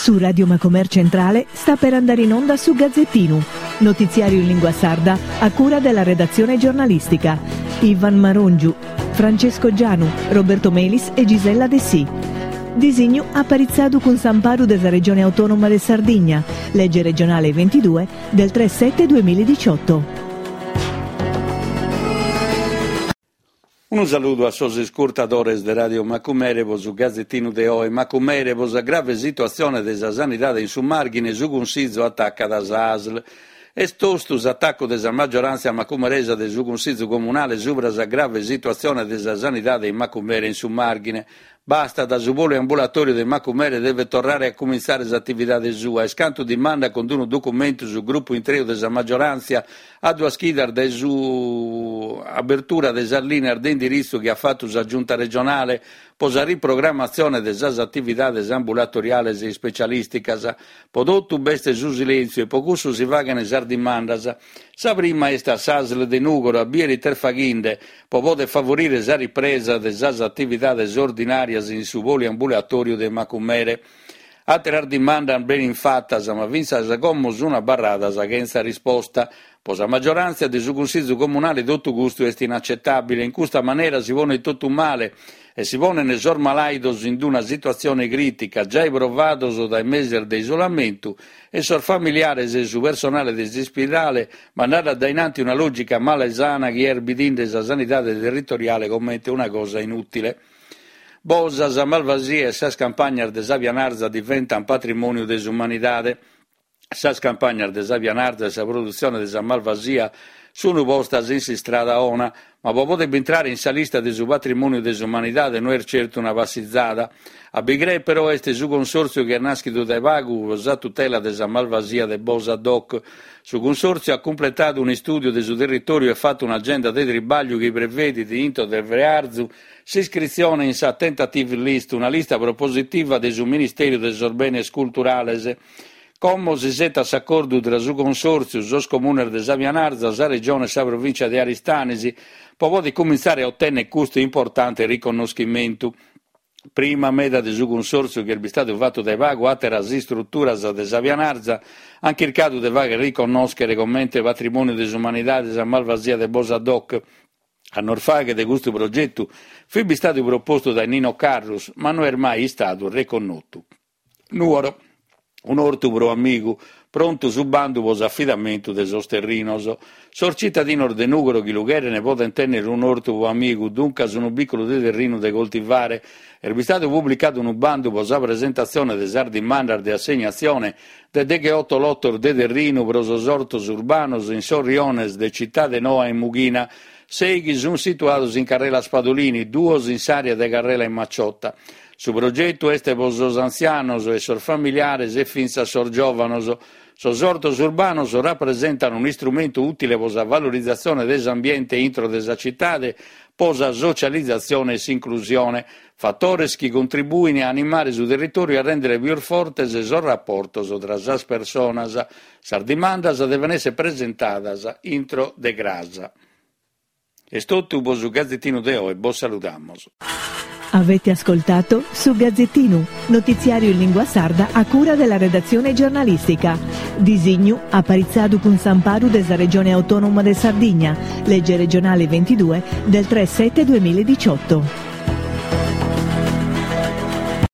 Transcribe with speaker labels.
Speaker 1: Su Radio Macomer Centrale sta per andare in onda su Gazzettinu, notiziario in lingua sarda a cura della redazione giornalistica. Ivan Marongiu, Francesco Gianu, Roberto Melis e Gisella Dessì. Disignu aparitzadu cun s'amparu de sa Regione Autonoma de Sardigna, lege regionale 22 del 3 7 2018.
Speaker 2: Unu saludu a sos iscurtadores de Radio Macumere pro su gazetinu de oe. Macumere, pro sa grave situatzione de sa sanidade in su Màrghine, su Cunsizu atacat sa ASL. Est tostu s'atacu de sa magioràntzia macumeresa de su Cunsizu comunale subra sa grave situatzione de sa sanidade in Macumere e in su Màrghine. Bastat, su poliambulatòriu de Macumere devet torrare a cumintzare s'atividade sua, est cantu dimandat cun unu documentu su grupu intreu de sa magioràntzia a duas chidas dae s'abertura de sas lìneas de indiritzu chi at fatu sa Giunta regionale pro sa riprogrammatzione de sas atividades ambulatoriales e ispecialìsticas. Pro totu b'est su silèntziu e pro cussu si faghent sas dimandas. Sa prima est a s'Asl de Nùgoro a bìdere ite est faghende pro poder favorire sa ripresa de sas atividades ordinàrias in su poliambulatòriu de Macumere. Àteras dimandas benint fatas, ma fintzas como sunt abarradas chentza risposta. Pro sa magioràntzia de su Cunsìgiu Comunale totu custu est inaccetàbile. In custa manera si ponet totu male e si ponent sos malàidos in una situatzione crìtica, giai provados dae meses de isolamentu, e sos familiares e su personale de s'ispidale mandadu a dae in anti una lògica malesana chi est bidinde sa sanidade territoriale comente una cosa inùtile. Bosa, sa Malvasia e sas campagnas de sa Pianarza diventant patrimòniu de s'umanidade. Sas campagnas de sa Pianarza e sa produtzione de sa Malvasia sunt postas in s'istrada 'ona, Ma pro poder bintrare in sa lista de su patrimòniu de s'umanidade no est certu una passizada. A bi creer però est su cunsòrtziu chi est nàschidu dae pagu pro sa tutela de sa Malvasia de Bosa Doc. Su cunsòrtziu at cumpletadu un'istùdiu de su territòriu e fatu un'agenda de tribàgliu chi prevedit, intro de frearzu, s'iscritzione in sa Tentative List, una lista propositiva de su Ministèriu de sos Benes Culturales. Como s'isetat s'acordu tra su Consòrtziu, sos Comunes de sa Pianarza, sa Regione e sa Provìncia de Aristanis pro poder cumintzare a otènnere custu importante riconnoschimentu. Prima meda de su Cunsòrtziu chi est bistadu fatu dae pagu, àteras istruturas de sa Pianarza ant chircadu de fàghere riconnòschere comente patrimòniu de s'umanidade sa Malvasia de Bosa Doc. Annos faghet custu progetu fit bistadu propostu dae Nino Carrus, ma no est mai istadu reconnotu. Nùgoro, un'ortu pro amigu, prontu su bandu pro s'afidamentu de sos terrinos. Sos citadinos de Nùgoro chi lu cherent podent tènnere un'ortu pro amigu, duncas unu bìculu de terrinu de coltivare. Est bistadu publicadu unu bandu pro sa presentatzione de sas dimandas de assegnatzione de degheoto lotos de terrinu pro sos ortos urbanos in sos riones de Citade Noa e Mughina, sèighi sunt situados in carrela Spadolini, duos in s'àrea de carrela in Maciotta. Su progetu est pro sos antzianos e sos familiares e fintzas sos giòvanos. Sos ortos urbanos rapresentan un'istrumentu ùtile pro sa valorizatzione de s'ambiente intro de sa citade, pro sa socializatzione e s'inclusione, fatores chi contribuin a animare su territòriu e a rèndere pius fortes sos raportos tra sas personas. Sas dimandas deven èssere presentadas intro de cras. Est totu pro su Gazetinu de oe, bos saludamos.
Speaker 1: Avete ascoltato Su Gazzettinu, notiziario in lingua sarda a cura della redazione giornalistica. Disignu aparitzadu cun s'amparu de sa Regione Autonoma de Sardigna, legge regionale 22 del 3 7 2018.